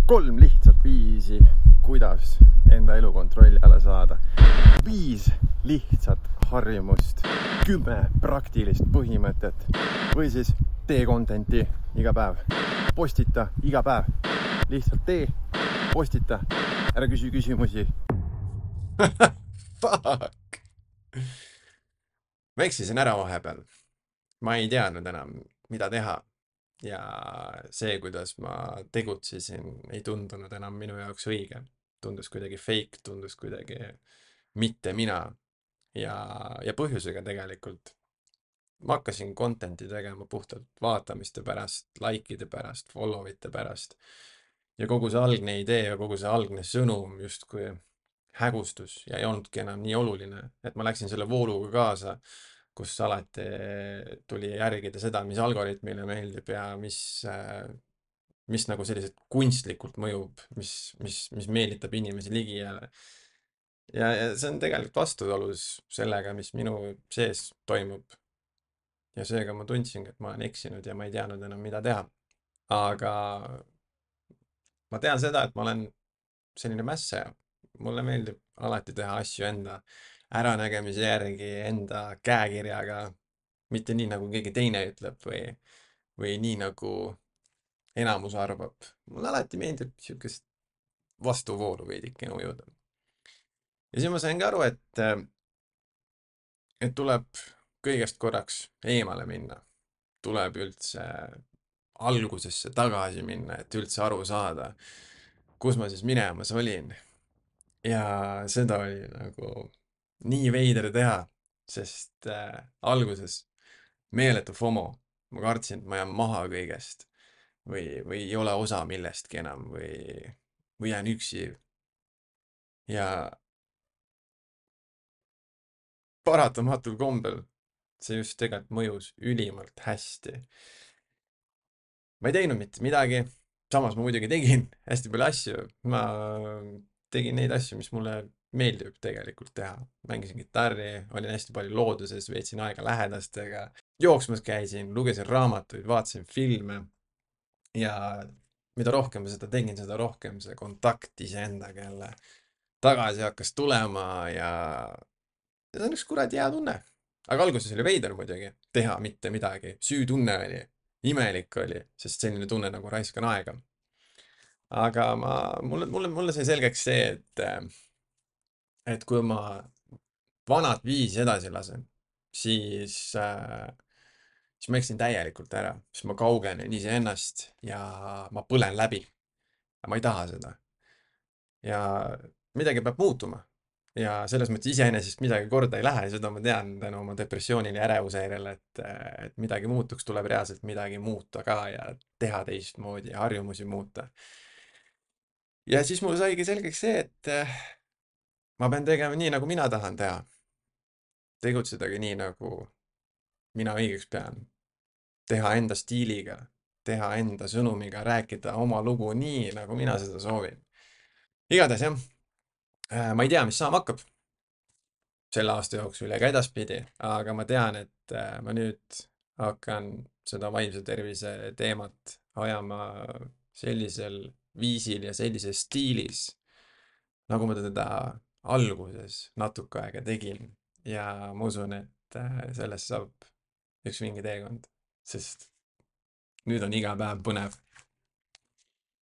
3 lihtsat viisi, kuidas enda elu kontrolli alla saada. 5 lihtsat harjumust, 10 praktilist põhimõtet või siis tee contenti iga päev. Postita iga päev. Lihtsalt tee, postita, ära küsi küsimusi. Fuck! Ma eksisin ära vahepeal. Ma ei teadnud enam, mida teha. Ja see, kuidas ma tegutsesin, ei tundunud enam minu jaoks õige. Tundus kuidagi fake, tundus kuidagi mitte mina. Ja põhjusega tegelikult. Ma hakkasin contenti tegema puhtalt vaatamiste pärast, likeide pärast, follow'ite pärast. Ja kogu see algne idee ja kogu see algne sõnum justkui hägustus ja ei olnudki enam nii oluline, et ma läksin selle vooluga kaasa, kus alati tuli järgida seda, mis algoritmile meeldib ja mis nagu selliselt kunstlikult mõjub, mis meelitab inimesi ligi ja see on tegelikult vastuolus sellega, mis minu sees toimub. Ja seega ma tundsingi, et ma olen eksinud ja ma ei teadnud enam, mida teha. Aga ma tean seda, et ma olen selline mässaja. Mulle meeldib alati teha asju enda äranägemise järgi, enda käekirjaga, mitte nii, nagu keegi teine ütleb või nii, nagu enamus arvab. Mulle alati meeldib niisugust vastuvoolu veidikene ujuda. Ja siis ma sain ka aru, et tuleb kõigest korraks eemale minna. Tuleb üldse algusesse tagasi minna, et üldse aru saada, kus ma siis minemas olin. Ja seda oli nagu nii veider teha, sest alguses meeletu FOMO. Ma kartsin, et ma jään maha kõigest või ei ole osa millestki enam või jään üksi. Ja paratamatul kombel see just tegelikult mõjus ülimalt hästi. Ma ei teinud mitte midagi, samas ma muidugi tegin hästi palju asju. Ma tegin neid asju, mis mulle meeldib tegelikult teha. Mängisin kitarri, olin hästi palju looduses, veetsin aega lähedastega. Jooksmas käisin, lugesin raamatuid, vaatasin filme. Ja mida rohkem ma seda tegin, seda rohkem see kontakt iseendaga jälle tagasi hakkas tulema ja see on üks kuradi hea tunne. Aga alguses oli veider muidugi teha mitte midagi. Süütunne oli, imelik oli, sest selline tunne nagu raiskan aega. Aga mulle sai selgeks see, et kui ma vanad viisi edasi lasen, siis ma eksin täielikult ära, siis ma kaugenen iseennast ja ma põlen läbi. Ja ma ei taha seda. Ja midagi peab muutuma. Ja selles mõttes iseenesest midagi korda ei lähe, seda ma tean tänu oma depressioonile ja ärevushäirele, et midagi muutuks, tuleb reaalselt midagi muuta ka ja teha teistmoodi ja harjumusi muuta. Ja siis mul saigi selgeks see, et ma pean tegema nii, nagu mina tahan teha. Tegutsedagi nii, nagu mina õigeks pean. Teha enda stiiliga, teha enda sõnumiga, rääkida oma lugu nii, nagu mina seda soovin. Igatahes jah, ma ei tea, mis saama hakkab selle aasta jooksul ja ka edaspidi, aga ma tean, et ma nüüd hakkan seda vaimse tervise teemat ajama sellisel viisil ja sellises stiilis, nagu ma teda alguses natuke aega tegin. Ja ma usun, et sellest saab üks vinge teekond, sest nüüd on iga päev põnev.